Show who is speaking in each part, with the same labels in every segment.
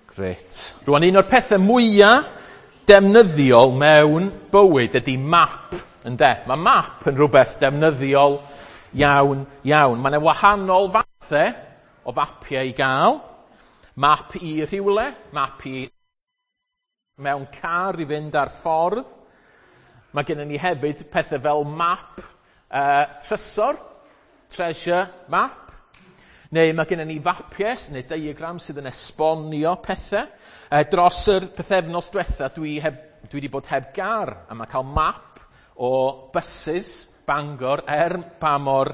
Speaker 1: Grêt. Rwan, un o'r pethau mwyaf defnyddiol mewn bywyd ydy map, ynde? Mae map yn rhywbeth defnyddiol iawn, iawn. Mae yna wahanol fathau o fapiau i gael. Map i rhywle, map i mewn car i fynd ar ffordd. Mae gennym ni hefyd pethau fel map trysor, treasure map. Neu mae gennym ni fapiau neu diagram sydd yn esbonio pethau. Dros yr pythefnos diwetha, dwi wedi bod heb gar, a mae cael map o buses Bangor pa mor,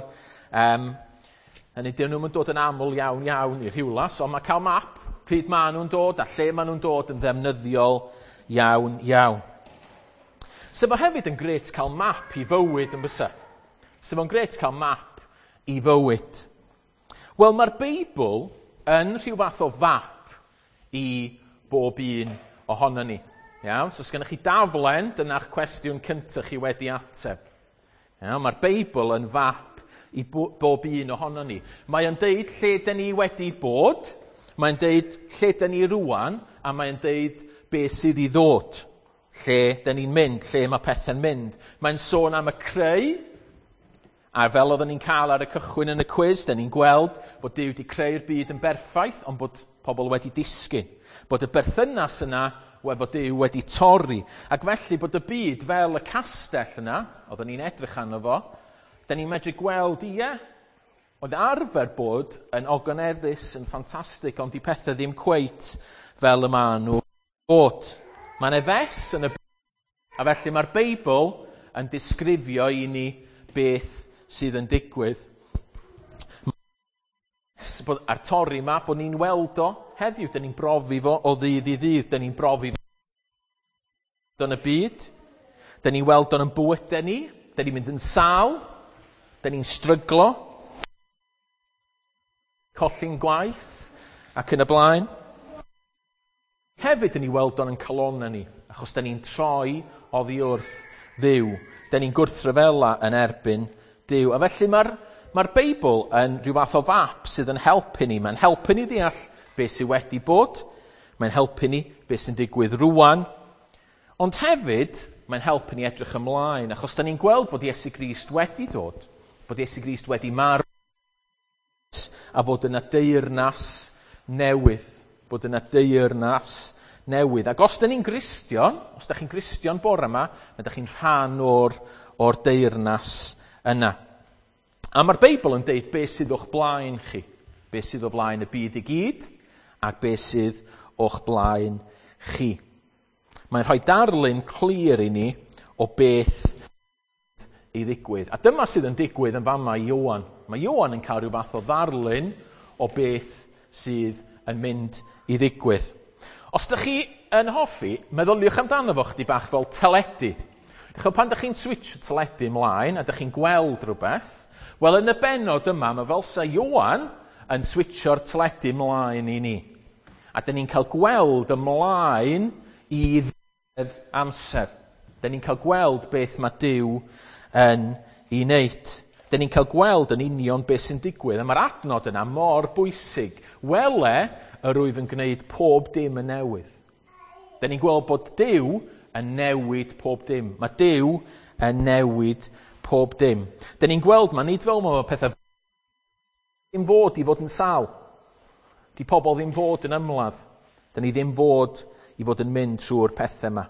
Speaker 1: hynny dyn nhw'n dod yn aml iawn iawn i Rhiwlas, ond mae cael map pryd maen nhw'n dod a lle maen nhw'n dod yn ddefnyddiol iawn iawn. So mae hefyd yn grêt cael map i fywyd yn bysa. So mae'n grêt cael map i fywyd. Wel, mae'r Beibl yn rhyw fath o fap i bob un ohono ni. Iawn? So os gennych chi daflen, dyna'ch cwestiwn cyntaf chi wedi ateb. Iawn? Mae'r Beibl yn fap i bob un ohono ni. Mae o'n deud lle dyn ni wedi bod, mae'n deud lle dyn ni rwan, a mae'n deud beth sydd i ddod. Lle dyn ni'n mynd, lle mae pethau'n mynd. Mae'n sôn am y creu, a fel oedden ni'n cael ar y cychwyn yn y cwis, dyn ni'n gweld bod Duw wedi creu'r byd yn berffaith, ond bod pobl wedi disgyn. Bod y berthynas yna efo Duw wedi torri. Ac felly bod y byd fel y castell yna, oedden ni'n edrych arno fo, dyn ni'n medru gweld, ie, oedd arfer bod yn ogoneddus, yn ffantastig, ond di pethau ddim cweit fel y maen nhw bod. Mae yna fes yn y byd, a felly mae'r Beibl yn disgrifio i ni beth sydd yn digwydd. Bod a'r torri yma, bod ni'n weld o heddiw, dyn ni'n brofi fo o ddydd i ddydd, dyn ni'n brofi fo yn y byd, dyn ni'n weld o'n bywydau ni, dyn ni'n mynd yn sâl, dyn ni'n stryglo, colli'n gwaith, ac yn y blaen. Hefyd, dyn ni weld o'n calonnau ni, achos dyn ni'n troi oddi wrth Dduw. Dyn ni'n gwrthryfela yn erbyn Duw. A felly mae'r Beibl yn rhyw fath o fap sydd yn helpu ni. Mae'n helpu ni ddeall beth sydd wedi bod. Mae'n helpu ni beth sy'n digwydd rwan. Ond hefyd, mae'n helpu ni edrych ymlaen, achos dyn ni'n gweld fod Iesu Grist wedi dod, bod Iesu Grist wedi marw, a fod yna deyrnas newydd. Bod yna deyrnas newydd. Ac os dyn ni'n Gristion, os da chi'n Gristion bore yma, na da chi'n rhan o'r deyrnas yna. A mae'r Beibl yn deud beth sydd o'ch blaen chi, beth sydd o flaen y byd i gyd, ac beth sydd o'ch blaen chi. Mae'n rhoi darlun clir i ni o beth i ddigwydd. A dyma sydd yn digwydd yn fama i Ioan. Mae Ioan yn cael rhyw fath o ddarlun o beth sydd yn mynd i ddigwydd. Os ydych chi yn hoffi, meddyliwch amdano fo chdi bach fel teledu. Dych pan ydych chi'n switch teledu ymlaen a ydych chi'n gweld rhywbeth, wel yn y bennod yma, mae fel sa Ioan yn switcho'r teledu ymlaen i ni. A dyn ni'n cael gweld ymlaen i ddiwedd amser. Dyn ni'n cael gweld beth mae Duw yn ei wneud. Dyn ni'n cael gweld yn union beth sy'n digwydd. A mae'r adnod yna mor bwysig. Wele, yr wyf yn gwneud pob dim yn newydd. Dyn ni'n gweld bod Duw yn newid pob dim. Mae Duw yn newid pob dim. Dyn ni'n gweld ma nid fel mae pethau ddim fod i fod yn sâl. Di pobl ddim fod yn ymladd. Dyn ni ddim fod i fod yn mynd trwy'r pethau yma.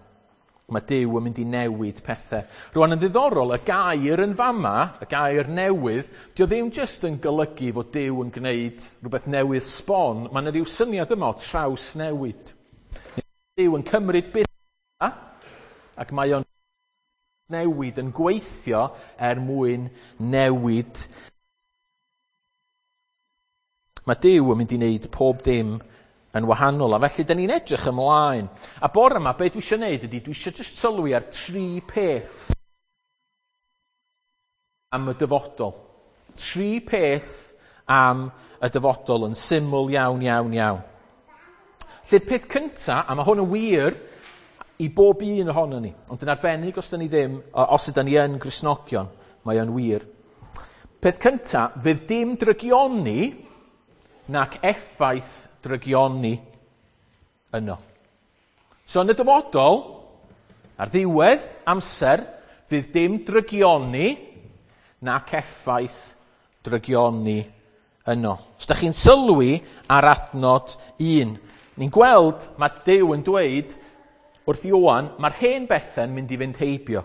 Speaker 1: Mae Duw yn mynd i newid pethau. Rwan yn ddiddorol, y gair yn fama, y gair newydd, dio ddim jyst yn golygu fod Duw yn gwneud rhywbeth newydd sbon. Mae yna rhyw syniad yma o traws newid. Duw yn cymryd beth yma, ac mae o'n newid yn gweithio er mwyn newid. Mae Duw yn mynd i wneud pob dim yn wahanol, a felly dyn ni'n edrych ymlaen. A bore yma, be dwi eisiau gwneud ydy, dwi eisiau jyst sylwi ar tri peth am y dyfodol. Tri peth am y dyfodol yn syml iawn, iawn, iawn. Felly'r peth cynta, a mae hwn yn wir i bob un ohono ni, ond yn arbennig os ydyn ni ddim, os ydyn ni yn Gristnogion, mae o'n wir. Peth cynta, fydd dim drygioni nac effaith drygioni. yno. So yn y dyfodol, ar ddiwedd amser, fydd dim drygioni nac effaith drygioni yno. Os da chi'n sylwi ar adnod 1, ni'n gweld mae Duw yn dweud wrth Ioan, mae'r hen bethau'n mynd i fynd heibio.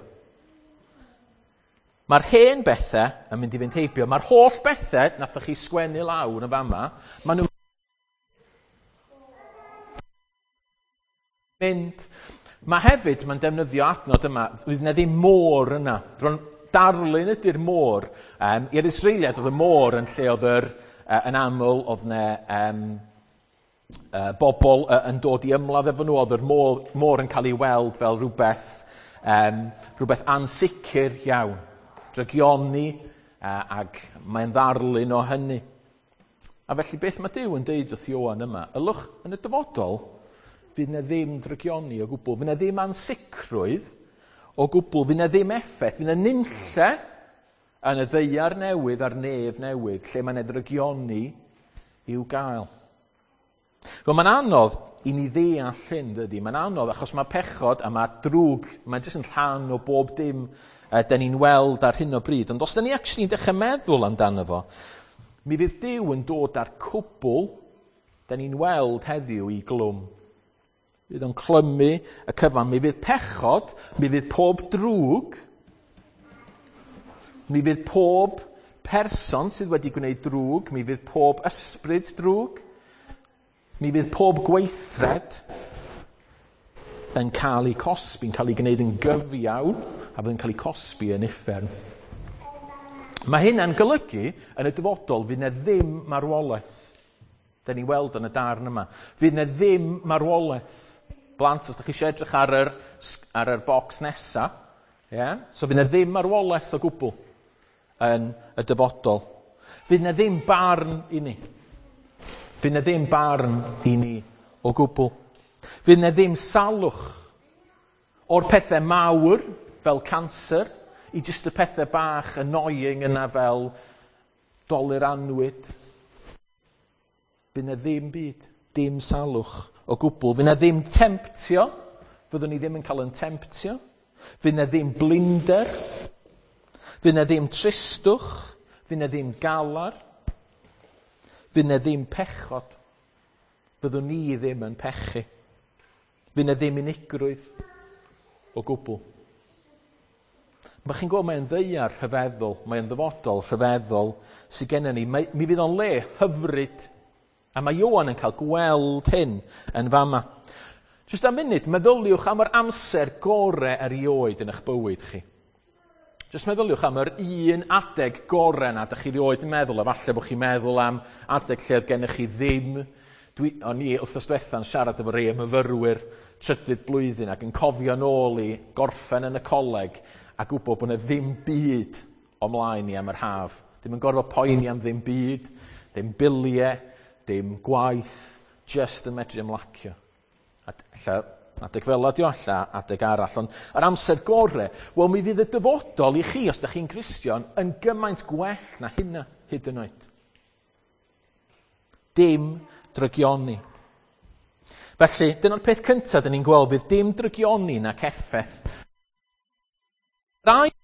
Speaker 1: Mae'r hen bethau yn mynd i fynd heibio. Mae'r holl bethau nathoch chi sgwennu lawr yn fama, maen nhw'n mynd. Mae hefyd, mae'n defnyddio adnod yma, fydd yna ddim môr yna. Rwan, darlun ydy'r môr. I'r Israeliad oedd y môr yn lle oedd yr, yn aml, oedd yna bobl yn dod i ymladd efo nhw, oedd yr môr yn cael ei weld fel rhywbeth ansicr iawn. Drygioni, ac mae'n ddarlun o hynny. A felly beth mae Duw yn deud wrth Ioan yma? Ylwch yn y dyfodol, fydd yna ddim drygioni o gwbl, fydd yna ddim ansicrwydd o gwbl, fydd yna ddim effaith, fydd yna nunlle yn y ddaear newydd a'r nef newydd, lle mae yna ddrygioni i'w gael. Wel, mae'n anodd i ni ddeall hyn, dydy. Mae'n anodd achos mae pechod a mae drwg, mae'n jyst yn rhan o bob dim da ni'n weld ar hyn o bryd. Ond os da ni actually'n dechrau meddwl amdano fo, mi fydd Duw yn dod â'r cwbl da ni'n weld heddiw i glwm. Fydd o'n clymu y cyfan. Mi fydd pechod, mi fydd pob drwg, mi fydd pob person sydd wedi gwneud drwg, mi fydd pob ysbryd drwg, mi fydd pob gweithred yn cael ei cosbi, yn cael ei gwneud yn gyfiawn, a fydd yn cael ei cosbi yn uffern. Mae hynna'n golygu yn y dyfodol fydd yna ddim marwolaeth. Da ni weld yn y darn yma. Fydd yna ddim marwolaeth. Blant, os ydych chi eisiau edrych ar yr bocs nesa, yeah? So fydd yna ddim marwolaeth o gwbl yn y dyfodol. Fydd yna ddim barn i ni. Fydd yna ddim barn i ni o gwbl. Fydd yna ddim salwch o'r pethau mawr fel canser i jyst y pethau bach annoying yna fel dolur anwyd. Fydd yna ddim byd, dim salwch o gwbl. Fydd yna ddim temptio, fyddwn ni ddim yn cael yn temptio. Fydd yna ddim blinder, fydd yna ddim tristwch, fydd yna ddim galar, fydd yna ddim pechod. Fyddwn ni ddim yn pechu. Fydd yna ddim unigrwydd o gwbl. Mae chi'n gweld mae'n ddaear rhyfeddol, mae'n ddyfodol rhyfeddol sydd gennym ni. Mi fydd o'n le hyfryd. A mae Ioan yn cael gweld hyn yn fama. Jyst am munud, meddyliwch am yr amser gore erioed yn eich bywyd chi. Jyst meddyliwch am yr un adeg gore na dych chi erioed yn meddwl, a falle bod chi'n meddwl am adeg lle oedd gennych chi ddim. O'n i wythnos diwetha'n siarad efo rei myfyrwyr trydydd blwyddyn ac yn cofio nôl i gorffen yn y coleg a gwybod bod yna ddim byd o mlaen i am yr haf. Ddim yn gorfod poeni am ddim byd, ddim biliau, dim gwaith, just yn medru ymlacio. Alla adeg fel ydi o, alla adeg arall. Ond yr amser gore, wel mi fydd y dyfodol i chi, os ydych chi'n Gristion, yn gymaint gwell na hynna hyd yn oed. Dim drygioni. Felly, dyna'r peth cyntaf dyn ni'n gweld, fydd dim drygioni nac effaith. Yr ail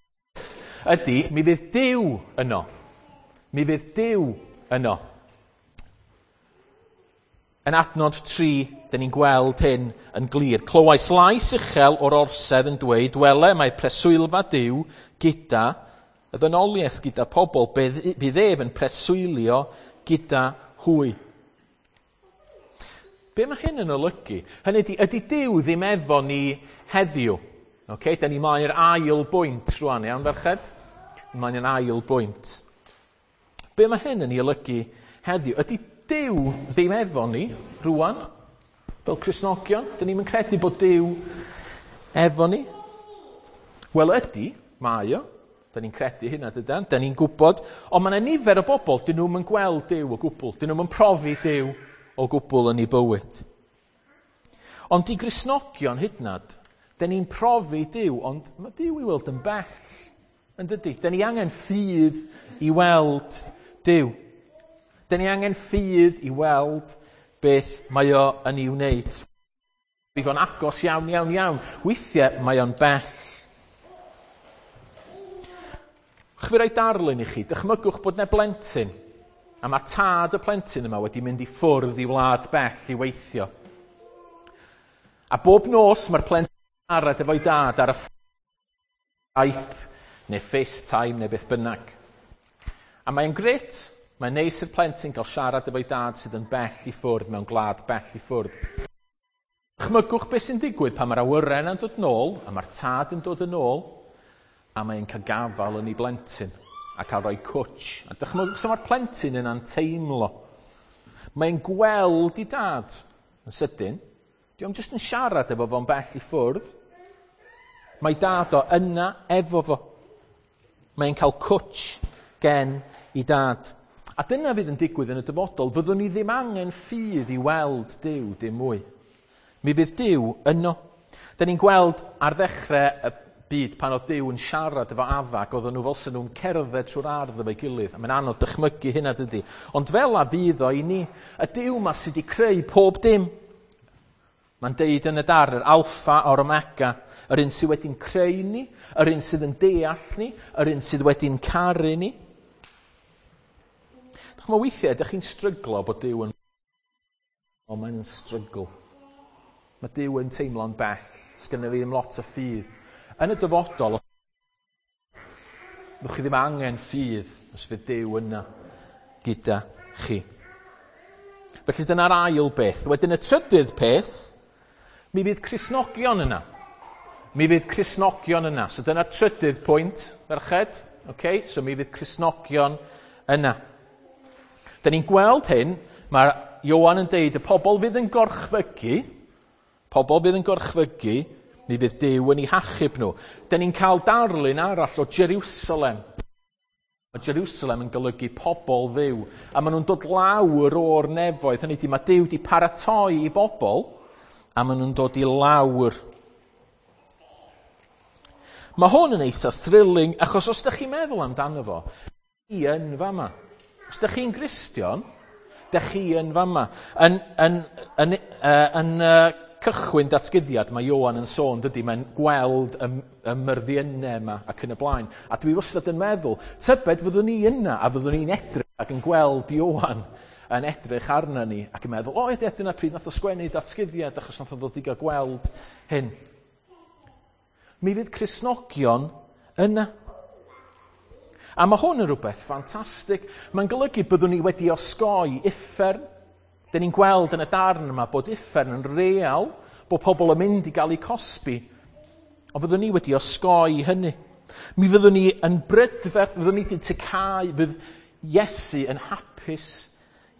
Speaker 1: ydy, mi fydd Duw yno. Mi fydd Duw yno. Yn adnod 3, dyn ni'n gweld hyn yn glir. Clywais lais uchel o'r orsedd yn dweud, wele mae preswylfa Duw gyda y ddynoliaeth, gyda pobl, bydd ef yn preswylio gyda hwy. Be mae hyn yn olygu? Hynny ydy Duw ddim efo ni heddiw? Okay, da ni mlaen i'r ail bwynt rwan, iawn ferched? Mlaen i'r ail bwynt. Be mae hyn yn ei olygu heddiw? Ydy Duw ddim efo ni rwan, fel Cristnogion? Dyn ni'm yn credu bod Duw efo ni? Wel ydy, mae o. Dyn ni'n credu hynna, dydan? Dyn ni'n gwybod. Ond mae yna nifer o bobl, dyn nhw'm yn gweld Duw o gwbl. Dyn nhw'm yn profi Duw o gwbl yn eu bywyd. Ond i Gristnogion hyd yn oed, dyn ni'n profi Duw, ond mae Duw i weld yn bell, yn dydy? Dyn ni angen ffydd i weld Duw. Dyn ni angen ffydd i weld beth mae o yn ei wneud. Fo'n agos iawn, iawn, iawn. Weithiau mae o'n bell. Chwi roi darlun i chi, dychmygwch bod 'na blentyn, a mae tad y plentyn yma wedi mynd i ffwrdd i wlad bell i weithio. A bob nos mae'r plentyn yn siarad efo'i dad ar y Skype neu FaceTime neu beth bynnag. A mae'n grêt, mae'n neis i'r plentyn gael siarad efo'i dad sydd yn bell i ffwrdd mewn gwlad bell i ffwrdd. Dychmygwch beth sy'n digwydd pan mae'r awyren yn dod nôl a mae'r tad yn dod yn ôl a mae'n cael gafael yn ei blentyn a cael rhoi cwtsh. A dychmygwch sut mae'r plentyn yna'n teimlo. Mae'n gweld i dad yn sydyn. Di o'm jyst yn siarad efo fo'n bell i ffwrdd. Mae dad o yna efo fo. Mae'n cael cwtsh gen i dad. A dyna fydd yn digwydd yn y dyfodol. Fyddwn ni ddim angen ffydd i weld Duw dim mwy. Mi fydd Duw yno. Da ni'n gweld ar ddechrau y byd pan oedd Duw yn siarad efo Adda, ac oedden nhw fel sy'n nhw'n cerdded trwy'r ardd efo'i gilydd. A mae'n anodd dychmygu hynna, dydy. Ond fel a fydd o i ni, y Duw ma sydd wedi creu pob dim. Mae'n deud yn y darn, yr alffa a'r omega, yr un sydd wedi'n creu ni, yr un sydd yn deall ni, yr un sydd wedi'n caru ni. Dych chi'n weithiau, ydych chi'n stryglo bod Duw yn... O, mae'n strygl. Mae Duw yn teimlo'n bell, sgynno fi ddim lot o ffydd. Yn y dyfodol, ddwch chi ddim angen ffydd os fydd Duw yna gyda chi. Felly dyna'r ail beth. Wedyn y trydydd peth, mi fydd Cristnogion yna. Mi fydd Cristnogion yna. So dyna'r trydydd pwynt, ferched. Okay? So mi fydd Cristnogion yna. Da ni'n gweld hyn, mae Ioan yn deud y pobl fydd yn gorchfygu, pobl fydd yn gorchfygu, mi fydd Duw yn eu hachub nhw. Da ni'n cael darlun arall o Jerusalem. Mae Jerusalem yn golygu pobl Dduw. A maen nhw'n dod lawr o'r nefoedd. Hynny ydy, mae Duw wedi paratoi i bobl, a maen nhw'n dod i lawr. Mae hwn yn eitha thrilling, achos os ydych chi'n meddwl amdano fo, chi yn fama. Os ydych chi'n Gristion, ydych chi yn fama. Yn cychwyn datguddiad, mae Ioan yn sôn, dydy, mae'n gweld y myrddiynau yma ac yn y blaen. A dwi wastad yn meddwl, tybed fyddwn ni yna a fyddwn ni'n edrych ac yn gweld Ioan yn edrych arna ni ac yn meddwl, o, ydy, dyna pryd nath o sgwennu datguddiad achos nath o ddod i gael gweld hyn. Mi fydd Cristnogion yna. A mae hwn yn rhywbeth ffantastig. Mae'n golygu byddwn ni wedi osgoi uffern. Dyn ni'n gweld yn y darn yma bod uffern yn real, bod pobl yn mynd i gael eu cosbi. Ond fyddwn ni wedi osgoi hynny. Mi fyddwn ni yn brydferth, fyddwn ni wedi tecau, fydd Iesu yn hapus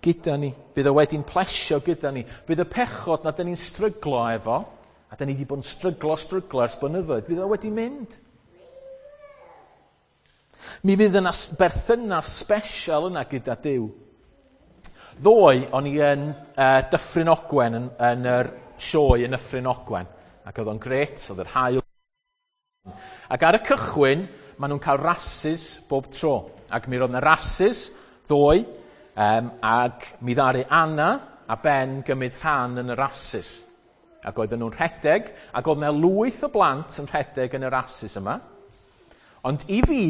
Speaker 1: gyda ni. Fydd o wedi'n plesio gyda ni. Fydd y pechod na dyn ni'n stryglo efo, a dyn ni wedi bod yn stryglo ers blynyddoedd, fydd o wedi mynd. Mi fydd yna berthynas special yna gyda Duw. Ddoe, o'n i yn Dyffryn Ogwen, yn yr sioe yn Dyffryn Ogwen, ac oedd o'n grêt, oedd yr haul. Ac ar y cychwyn, maen nhw'n cael rasys bob tro. Ac mi roedd yna rasys ddoe, ac mi ddaru Anna a Ben gymryd rhan yn y rasys. Ac oedden nhw'n rhedeg, ac oedd yna lwyth o blant yn rhedeg yn y rasys yma. Ond i fi,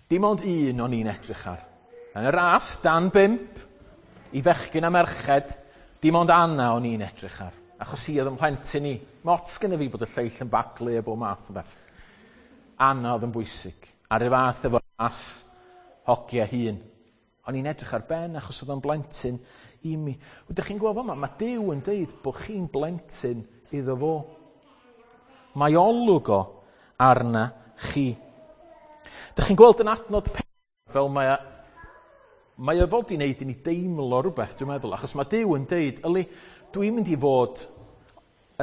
Speaker 1: dim ond un o'n i'n edrych ar. Yn y ras, dan 5, i fechgyn a merched, dim ond Anna o'n i'n edrych ar. Achos hi oedd yn plentyn i. Mots gynna fi bod y lleill yn baglu a bob math o beth. Anna oedd yn bwysig. A'r un fath efo ras hogia hun. O'n i'n edrych ar Ben achos oedd o'n blentyn i mi. Ydych chi'n gweld yma, mae Duw yn deud bod chi'n blentyn iddo fo. Mae olwg o arna chi. Dych chi'n gweld yn adnod fel mae o fod i wneud i ni deimlo rhywbeth, dwi'n meddwl, achos mae Duw yn deud, yli, dwi'n mynd i fod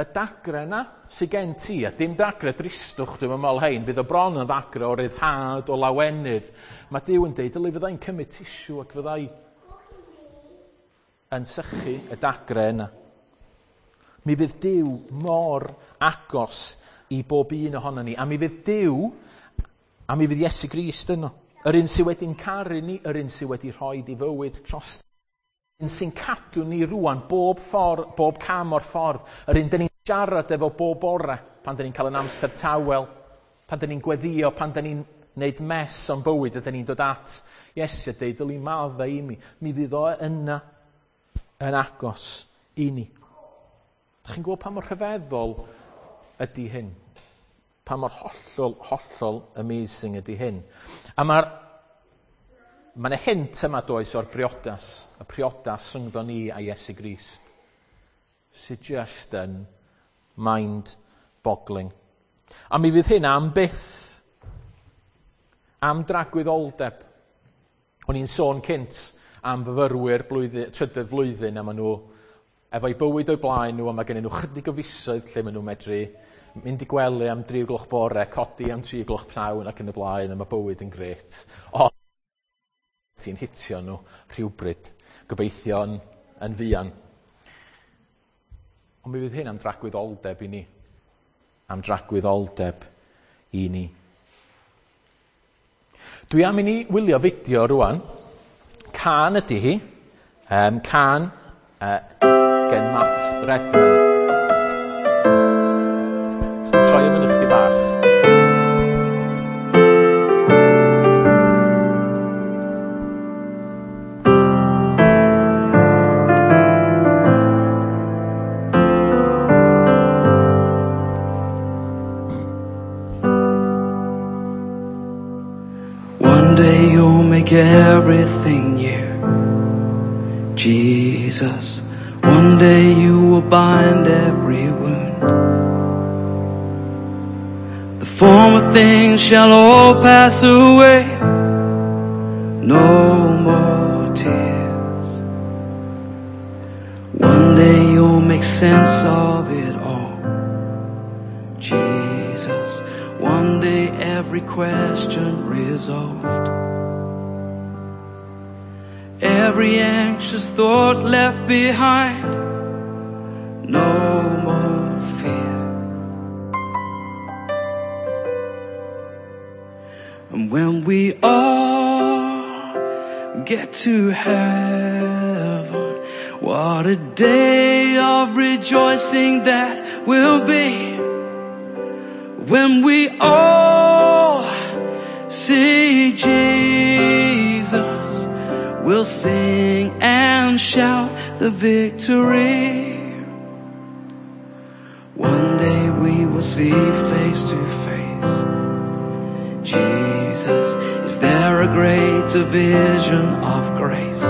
Speaker 1: y dagre yna sydd gen ti, a dim dagre dristwch, dwi'n meddwl hein, fydd o bron yn ddagre o ryddhad, o lawenydd. Mae Duw yn deud, yli, fyddai'n cymryd tisiw ac fyddai yn sychu y dagre yna. Mi fydd Duw mor agos i bob un ohono ni, a mi fydd Duw, a mi fydd Iesu Grist yno. Yr un sydd wedi'n caru ni, yr un sydd wedi rhoi i fywyd dros. Yr un sy'n cadw ni rŵan bob ffordd, bob cam o'r ffordd. Yr un dyn ni'n Siarad efo bob bore pan 'dan ni'n cael yn amser tawel, pan 'dan ni'n gweddio, pan 'dan ni'n neud mess o'n bywyd, a 'dan ni'n dod at Iesu a deud, dyli maddau i mi. Mi fydd o yna yn agos i ni. Dach chi'n gweld pa mor rhyfeddol ydy hyn? Pa mor hollol, hollol amazing ydy hyn? A mae 'na hint yma does o'r briodas, y priodas rhyngddo ni a Iesu Grist, sydd just yn mind-boggling. A mi fydd hyn am byth, am dragwyddoldeb. O'n i'n sôn cynt am fyfyrwyr trydydd flwyddyn, a maen nhw efo'u bywyd o'u blaen nhw, a mae gennyn nhw chydig o fisoedd lle maen nhw'n medru mynd i gwely am 3 gloch bore, codi am 3 gloch pnawn ac yn y blaen, a mae bywyd yn grêt. Ond ti'n hitio nhw rhywbryd, gobeithio yn fuan. Ond mi fydd hyn am dragwyddoldeb i ni. Am dragwyddoldeb i ni. Dwi am i ni wylio fideo rwan. Cân ydy hi. Cân gen Matt Redman. Troi o fyny chdi bach.
Speaker 2: One day you'll make everything new, Jesus. One day you will bind every wound. The former things shall all pass away. No more tears. One day you'll make sense of it all, Jesus. One day every question resolved, every anxious thought left behind, no more fear. And when we all get to heaven, what a day of rejoicing that will be. When we all see Jesus, we'll sing and shout the victory. One day we will see face to face Jesus. Is there a greater vision of grace?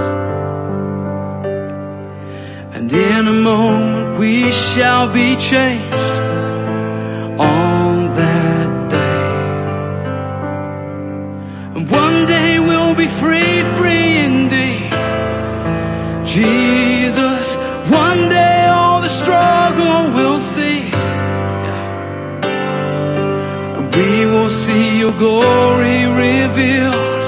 Speaker 2: And in a moment we shall be changed on that day. And one day we'll be free, free indeed, Jesus. One day all the struggle will cease, and we will see your glory revealed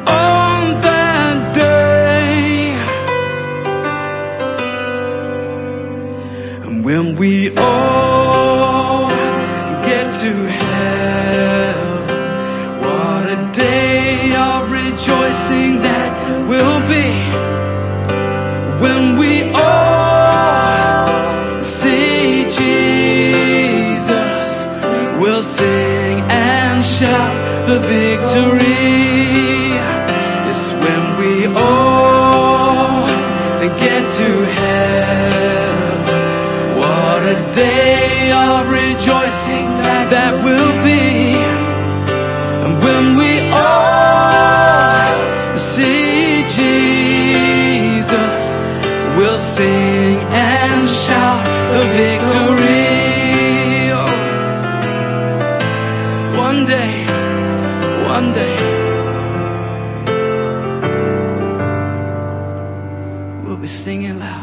Speaker 2: on that day. And when we all get to heaven, what a day of rejoicing that will be. When we all see Jesus, we'll sing and shout the victory. It's when we all get to heaven, what a day of rejoicing that will be. And when we all see Jesus, we'll sing and shout the victory. Oh. One day, one day, we'll be singing loud.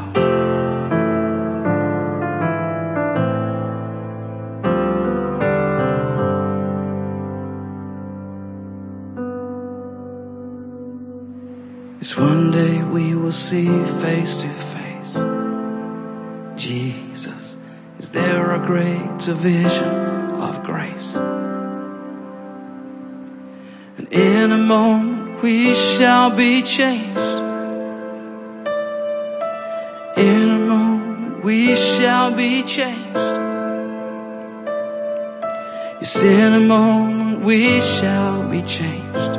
Speaker 2: It's one day we will see face to face Jesus. Is there a greater vision of grace? And in a moment we shall be changed. In a moment we shall be changed. Yes, in a moment we shall be changed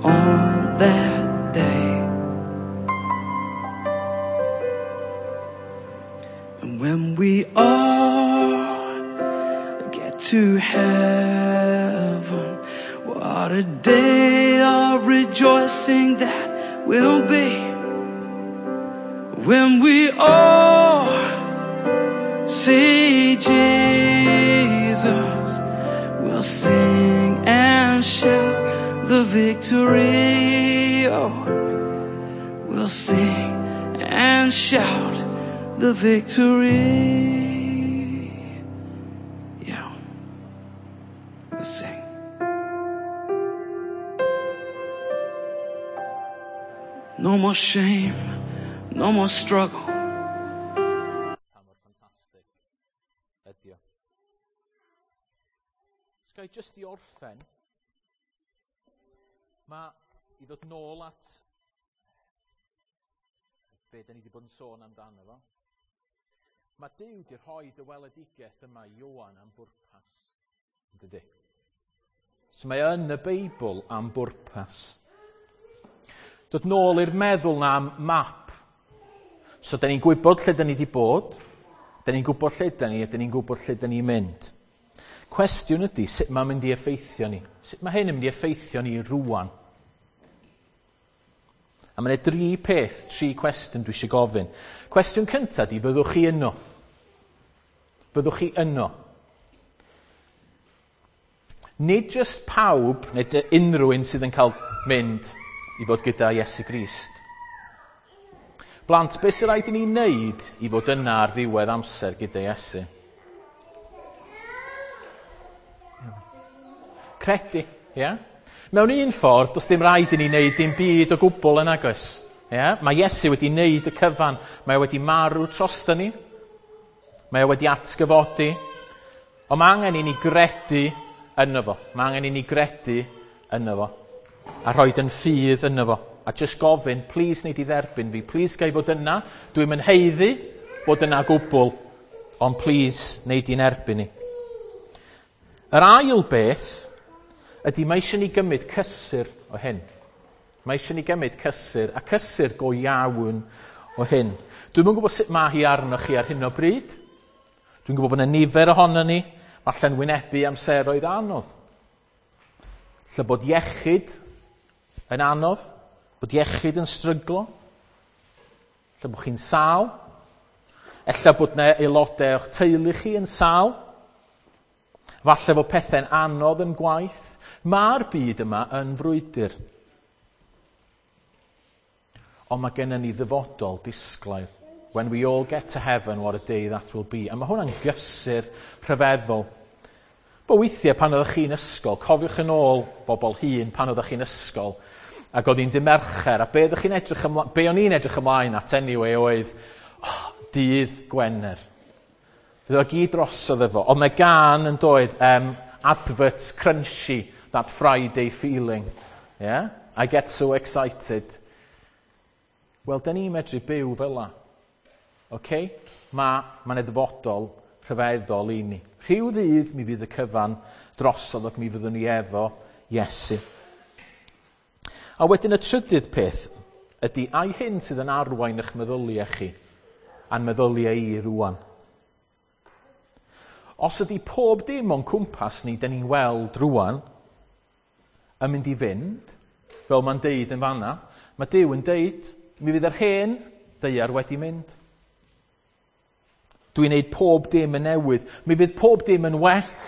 Speaker 2: on that day. And when we all get to heaven, what a day of rejoicing that will be. When we all see Jesus, we'll sing and shout the victory. Oh, we'll sing and shout the victory. Yeah, we'll sing. No more shame, no more struggle.
Speaker 1: Pa mor ffantastig ydi o. Os ga i jyst i orffen, mae i ddod nôl at be da ni wedi bod yn sôn amdano fo. Mae Duw wedi rhoi y weledigaeth yma i Ioan am bwrpas. Dydy. So mae yn y Beibl am bwrpas. Dod nôl i'r meddwl na am map. So da ni'n gwybod lle da ni wedi bod, da ni'n gwybod lle da ni, a da ni'n gwybod lle da ni'n mynd. Cwestiwn ydy, sut mae'n mynd i effeithio ni? Sut mae hyn yn mynd i effeithio ni rwan? A mae yna dri peth, tri cwestiwn dwi eisiau gofyn. Cwestiwn cyntaf ydy, fyddwch chi yno? Fyddwch chi yno? Nid jyst pawb, neu unrhyw un sydd yn cael mynd i fod gyda Iesu Grist. Blant, beth sy'n rhaid i ni wneud i fod yna ar ddiwedd amser gyda Iesu? Credu, ie? Yeah? Mewn un ffordd, does dim rhaid i ni wneud dim byd o gwbl yn agos. Yeah? Mae Iesu wedi wneud y cyfan. Mae wedi marw drosto ni. Mae o wedi atgyfodi. Ond mae angen i ni gredu yno fo. Mae angen i ni gredu yno fo. A rhoi yn ffydd yno fo. A jyst gofyn, please wneud i dderbyn fi. Please ga i fod yna. Dwi'm yn haeddu bod yna gwbl. Ond please wneud i'n erbyn ni. Yr ail beth ydy mae eisiau ni gymryd cysur o hyn. Mae eisiau ni gymryd cysur, a cysur go iawn o hyn. Dwi'm yn gwybod sut mae hi arnoch chi ar hyn o bryd. Dwi'n gwybod bod yna nifer ohono ni, falle'n wynebu amseroedd anodd. Lle bod iechyd yn anodd, bod iechyd yn stryglo, lle bod chi'n sâl, ella bod yna aelodau o'ch teulu chi yn sâl, falle fod pethau'n anodd yn gwaith. Mae'r byd yma yn frwydr. Ond mae gennym ni ddyfodol disglair. When we all get to heaven, what a day that will be. A mae hwnna'n gysur rhyfeddol. Bo weithiau pan oeddech chi'n ysgol, cofiwch yn ôl bobl hŷn pan oeddech chi'n ysgol, ac oedd hi'n ddydd Mercher, a be oeddech chi'n edrych ymlaen, be o'n i'n edrych ymlaen at anyway oedd, oh, dydd Gwener. Fydd o gyd drosodd efo. Ond mae gan yn doedd advert crunchy, that Friday feeling. Yeah? I get so excited. Wel, da ni'n medru byw fel la. Okay? Mae 'na ddyfodol rhyfeddol i ni. Rhyw ddydd mi fydd y cyfan drosodd ac mi fyddwn ni efo Iesu. A wedyn y trydydd peth ydy, ai hyn sydd yn arwain eich meddyliau chi a'n meddyliau i rwan. Os ydy pob dim o'n cwmpas ni, da ni'n weld rwan, yn mynd i fynd, fel mae'n deud yn fanna, mae Duw yn deud, mi fydd yr hen ddaear wedi mynd. Dwi'n neud pob dim yn newydd. Mi fydd pob dim yn well.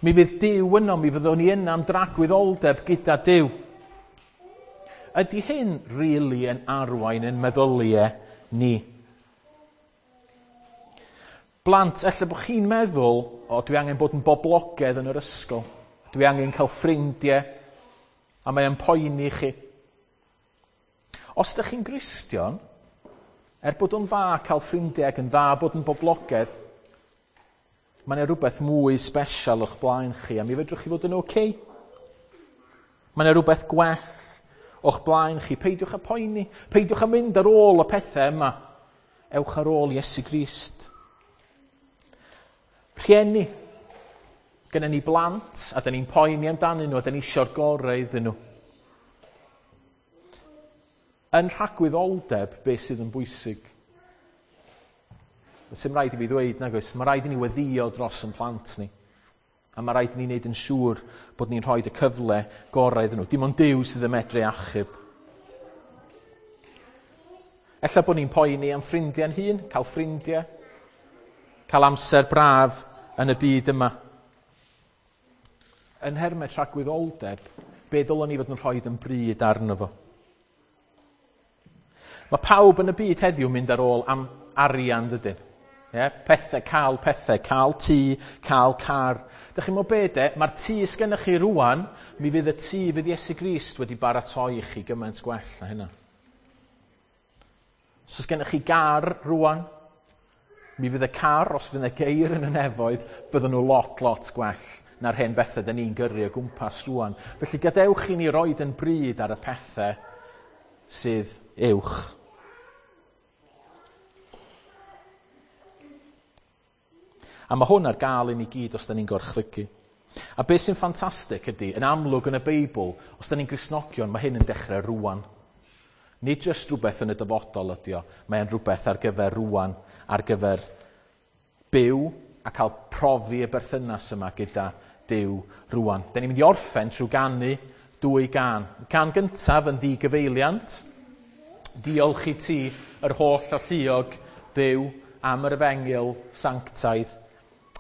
Speaker 1: Mi fydd Duw yno, mi fyddwn ni yna am dragwyddoldeb gyda Duw. Ydy hyn really yn arwain yn meddyliau ni? Blant, ella bod chi'n meddwl, o, dwi angen bod yn boblogaidd yn yr ysgol. Dwi angen cael ffrindiau, a mae o'n poeni chi. Os ydych chi'n Gristion, er bod o'n dda cael ffrindiau ac yn dda bod yn boblogaidd, mae yna rhywbeth mwy special o'ch blaen chi, a mi fedrwch chi fod yn oce. Mae yna rhywbeth gwell o'ch blaen chi. Peidiwch â poeni. Peidiwch â mynd ar ôl y pethau yma. Ewch ar ôl Iesu Grist. Rhieni, gyda ni blant, a da ni'n poeni amdanyn nhw, a da ni eisiau'r gorau iddyn nhw. Yn rhagwyddoldeb, beth sydd yn bwysig? Sy'n rhaid i fi ddweud, nag oes, mae rhaid i ni weddio dros yn plant ni. A mae rhaid i ni wneud yn siŵr bod ni'n rhoi y cyfle gorau iddyn nhw. Dim ond Duw sydd yn medru achub. Ella bod ni'n poeni am ffrindiau'n hun, cael ffrindiau, cael amser braf yn y byd yma. Yn nhermau tragwyddoldeb, be ddylwn ni fod yn rhoi yn bryd arno fo? Mae pawb yn y byd heddiw mynd ar ôl am arian, dydyn? Yeah? Pethau, cael pethau, cael tŷ, cael car. Dych chi'n meddwl be de? Mae'r tŷ sgennych chi rwan, mi fydd y tŷ fydd Iesu Grist wedi baratoi i chi gymaint gwell na hynna. Os oes gennych chi gar rwan, mi fydd y car, os fydd y geir yn y nefoedd, fydden nhw lot, lot gwell na'r hen bethau dyn ni'n gyrru o gwmpas rwan. Felly gadewch i ni roed yn bryd ar y pethau sydd uwch. A mae hwn ar gael i ni gyd os da ni'n gorchfygu. A beth sy'n ffantastig ydy, yn amlwg yn y Beibl, os da ni'n Gristnogion, mae hyn yn dechrau rwan. Nid jyst rhywbeth yn y dyfodol ydy o, mae'n rhywbeth ar gyfer rwan, ar gyfer byw a cael profi y berthynas yma gyda Duw rwan. Da ni'n mynd i orffen trwy ganu dwy gân. Y gân gyntaf yn ddigyfeiliant. Diolch i ti, yr holl alluog Dduw, am yr efengyl sanctaidd.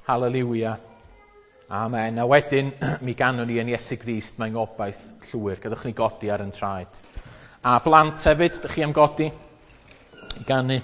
Speaker 1: Haleliwia. Amen. A wedyn, mi ganwn ni yn Iesu Grist, mae'n gobaith llwyr. Gadewch ni godi ar yn traed. A blant hefyd, dych chi am godi? Ganu.